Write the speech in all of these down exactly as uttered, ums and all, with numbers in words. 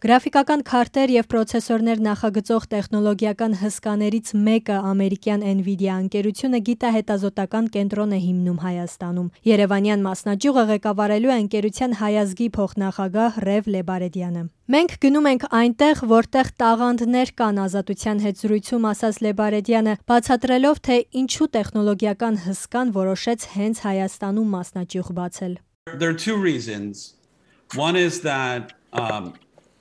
Գրաֆիկական քարտեր և պրոցեսորներ նախագծող տեխնոլոգիական հսկաներից մեկը ամերիկյան Nvidia ընկերությունը գիտահետազոտական կենտրոն է հիմնում Հայաստանում։ Երևանյան մասնաճյուղը ղեկավարելու է ընկերության հայազգի փոխնախագահ Ռև Լեբարեդյանը։ Մենք գնում ենք այնտեղ, որտեղ տաղանդներ կան, ազատության հետ զրույցում ասաց Լեբարեդյանը, բացատրելով, թե ինչու տեխնոլոգիական հսկան որոշեց հենց Հայաստանում մասնաճյուղ բացել։ There are two reasons. One is that um,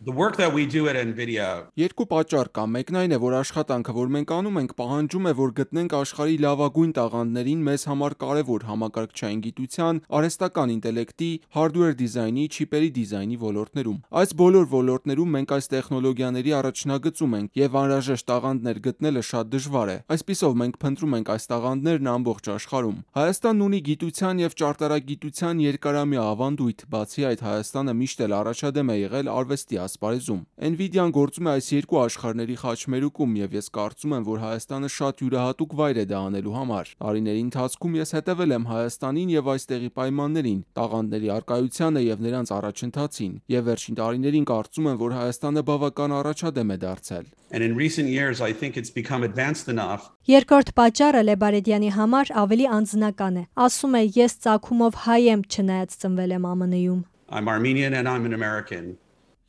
the work that we do at Nvidia. Երկու պատճառ կա։ Մեկն այն է, որ աշխատանքը, որ մենք անում ենք, պահանջում է, որ գտնենք աշխարհի լավագույն տաղանդներին մեզ համար կարևոր համակարգչային գիտության, արհեստական ինտելեկտի, hardware դիզայնի, չիպերի դիզայնի ոլորտներում։ Այս բոլոր ոլորտներում մենք այս տեխնոլոգիաների առաջնագծում ենք, եւ անհրաժեշտ տաղանդներ գտնելը շատ դժվար է։ Այսպիսով մենք փնտրում ենք այս տաղանդներն ամբողջ աշխարհում։ Հայաստանն ունի գիտության եւ ճարտարագիտության երկարամյա ավանդույթ, բացի այդ Հայաստանը միշտ էլ առաջադեմ է եղել արվեստի ասպարեզում։ Nvidia-ն գործում է այս երկու աշխարհների խաչմերուկում եւ ես կարծում եմ, որ Հայաստանը շատ յուրահատուկ վայր է դա անելու համար։ Տարիների ընթացքում ես հետևել եմ Հայաստանին եւ այստեղի պայմաններին, տաղանդների առկայությանը եւ նրանց առաջընթացին, եւ վերջին տարիներին կարծում եմ, որ Հայաստանը բավական առաջադեմ է դարձել։ And in recent years I think it's become advanced enough. Երկրորդ պատճառը Լեբարեդյանի համար ավելի անձնական է։ Ասում է, ես ծագումով հայ եմ, չնայած ծնվել եմ ԱՄՆ -ում։ I'm Armenian and I'm an American.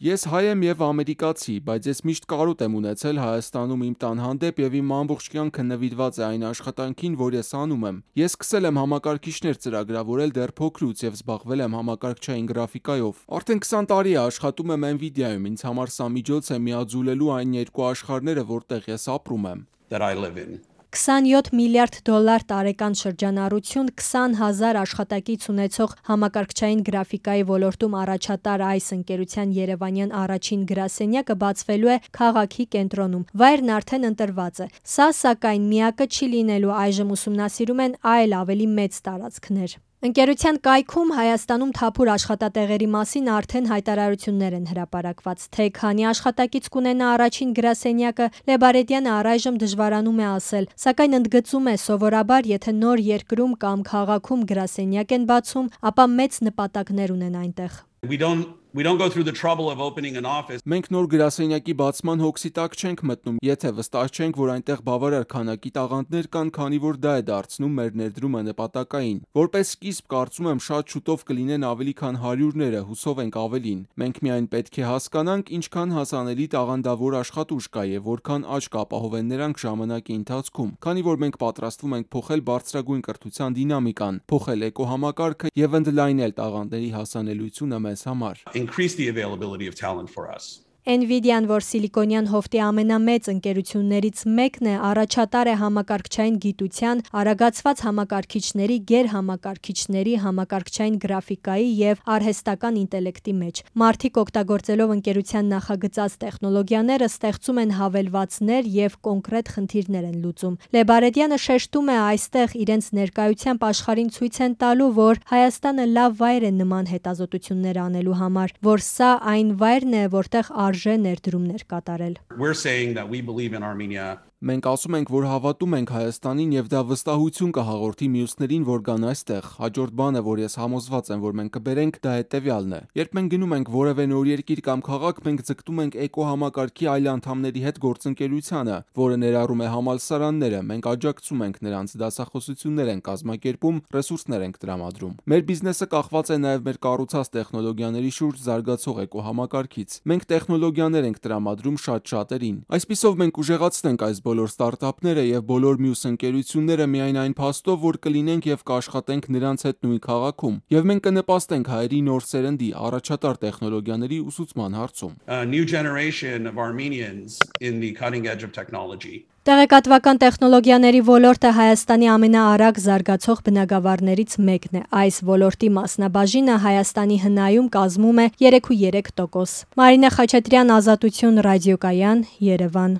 Ես հայ եմ եւ ամերիկացի, բայց ես միշտ կարոտ եմ ունեցել Հայաստանում իմ տան հանդեպ եւ իմ ամբողջ կյանքը նվիրված է այն աշխատանքին, որ ես անում եմ։ Ես սկսել եմ համակարգիչներ ծրագրավորել դեռ փոքրուց եւ զբաղվել եմ համակարգչային գրաֆիկայով։ Արդեն քսան տարի է աշխատում եմ Nvidia-ում, ինձ համար սա միջոց է միաձուլելու այն երկու աշխարհները, որտեղ ես ապրում եմ։ That I live in. քսանյոթ միլիարդ դոլար տարեկան շրջանառություն, քսան հազար աշխատակից ունեցող համակարգչային գրաֆիկայի ոլորտում առաջատար այս ընկերության երևանյան առաջին գրասենյակը բացվելու է քաղաքի կենտրոնում։ Վայրն արդեն ընտրված է։ Սա սակայն միակը չի լինելու, այժմ ուսումնասիրում են այլ ավելի մեծ տարածքներ։ Ընկերության կայքում Հայաստանում թափուր աշխատատեղերի մասին արդեն հայտարարություններ են հրապարակված, թե քանի աշխատակից կունենա առաջին գրասենյակը, Լեբարեդյանը առայժմ դժվարանում է ասել, սակայն ընդգծում է, սովորաբար եթե նոր երկրում կամ քաղաքում գրասենյակ են բացում, ապա մեծ նպատակներ ունեն այնտեղ։ We don't we don't go through the trouble of opening an office. Մենք նոր գրասենյակի բացման հոգսի տակ չենք մտնում, եթե վստահ չենք, որ այնտեղ բավարար քանակի տաղանդներ կան, քանի որ դա է դարձնում մեր ներդրումը նպատակային։ Որպես սկիզբ կարծում եմ շատ շուտով կլինեն ավելի քան հարյուրները, հուսով ենք ավելին։ Մենք միայն պետք է հասկանանք, ինչքան հասանելի տաղանդավոր աշխատուժ կա եւ որքան աճ կապահովեն նրանք ժամանակի ընթացքում, քանի որ մենք պատրաստվում ենք փոխել բարձրագույն կրթության դինամիկան, փոխել էկոհամակարգը եւ ընդլայնել տաղանդների հասանելիությունը մեզ համար։ Increase the availability of talent for us. Nvidia-ն, որ սիլիկոնյան հովտի ամենամեծ ընկերություններից մեկն է, առաջատար է համակարգչային գիտության, արագացված համակարգիչների, գերհամակարգիչների, համակարգչային գրաֆիկայի եւ արհեստական ինտելեկտի մեջ։ Մարդիկ օգտագործելով ընկերության նախագծած տեխնոլոգիաները ստեղծում են հավելվածներ եւ կոնկրետ խնդիրներ են լուծում։ Լեբարեդյանը շեշտում է, այստեղ իրենց ներկայությամբ աշխարհին ցույց են տալու, որ Հայաստանը լավ վայր է նման հետազոտություններ անելու համար, որ սա այն վայրն է, որտեղ արժե ներդրումներ կատարել։ We're saying that we believe in Armenia. Մենք ասում ենք, որ հավատում ենք Հայաստանին եւ դա վստահություն կհաղորդի մյուսներին, որ գան այստեղ։ Հաջորդ բանը, որ ես համոզված եմ, որ մենք կբերենք, դա հետեւյալն է։ Երբ մենք գնում ենք որևէ նոր երկիր կամ քաղաք, մենք ձգտում ենք էկոհամակարգի այլ անդամների հետ գործընկերությանը, որը ներառում է համալսարանները։ Մենք աջակցում ենք նրանց, դասախոսություններ են կազմակերպում, ռեսուրսներ ենք տրամադրում։ Մեր բիզնեսը կախված է նաեւ մեր կառուցած տեխնոլոգիաների շուրջ զարգացող էկոհամակարգից։ Մենք տեխնոլոգիաներ ենք տրամադրում շատ շատերին։ Այսպիսով մենք ուժեղացնենք այս բոլոր ստարտափները եւ բոլոր մյուս ընկերությունները միայն այն փաստով, որ կլինենք եւ կաշխատենք նրանց հետ նույն քաղաքում, եւ մենք կնպաստենք հայերի նոր սերնդի առաջատար տեխնոլոգիաների ուսուցման հարցում։ A new generation of Armenians in the cutting edge of technology. Տեղեկատվական տեխնոլոգիաների ոլորտը Հայաստանի ամենաարագ զարգացող բնագավառներից մեկն է։ Այս ոլորտի մասնաբաժինը Հայաստանի հնայում կազմում է երեք կόμμα երեք տոկոս։ Մարինե Խաչատրյան, Ազատություն ռադիոկայան, Երևան։